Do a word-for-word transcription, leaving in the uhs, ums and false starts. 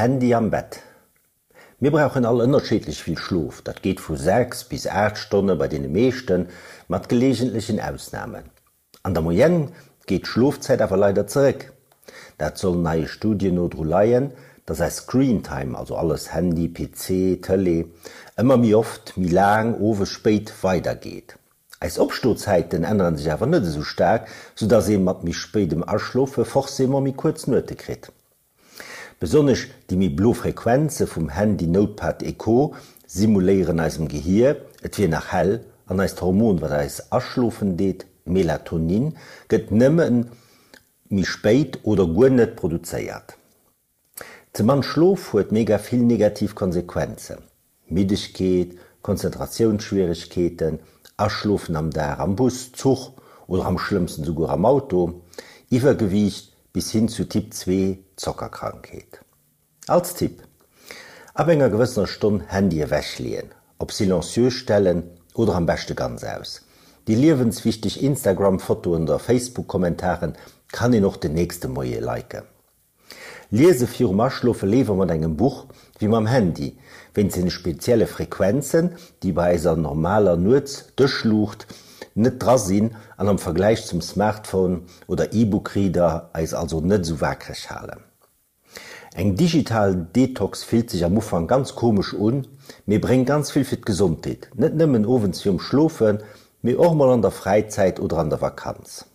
Handy am Bett. Mir brauchen all ënnerschiddlech vill Schlof, dat geet vu sechs bis aacht Stonne bei deene meeschten, mat geleegentlechen Ausnamen. An der Moyenne geet d'Schlofzäit awer leider zeréck. Dat soll neie Studien no dru leien, dass eis Screentime, also alles Handy, P C, Tëlee, ëmmer méi oft, méi laang, owes spéit weidergeet. Eis Opstozäiten ännere sech awer net esou staark, soudass ee mat méi spéidem Aschlofe forcément méi kuerz Nuete kritt. Besonnesch déi méi blo Frequenze vum Handy, Notepad et Co. Simuléieren eisem Gehier, et wier nach hell, an eist Hormon, wat eis aschlofen deet, Melatonin, gëtt nëmme méi spéit oder guer net produzéiert. Ze mann Schlof huet mega vill negativ Konsequenzen, Middegkeet, Konzentratiounsschwieregkeeten, Aschlofen am Dag am Bus, Zuch oder am schlëmmsten souguer am Auto, Iwwergewiicht bis hin zu Typ zwee Zockerkrankheet. Als Tipp, Ab enger gewëssener Stonn Handy ewech leeën, op silencieux stellen oder am beschte ganz aus. Déi liewenswichteg Instagram Fotoen oder Facebook Kommentaren kann een och den nächste Moie liken. Liese virum Aschlofe léiwer mat engem Buch wéi mam Handy, wéinst deene spezielle Frequenzen, déi bei eiser normaler Nuets-Dëschluucht net dra sinn an am Vergläich zum Smartphone oder E-Book-Reader eis also net esou wakereg halen. Eng digital Detox fillt sech am Ufank ganz komesch un, mee bréngt ganz vill fir d'Gesondheet, net nëmmen owends virum Schlofen, mee och mol an der Fräizäit oder an der Vakanz.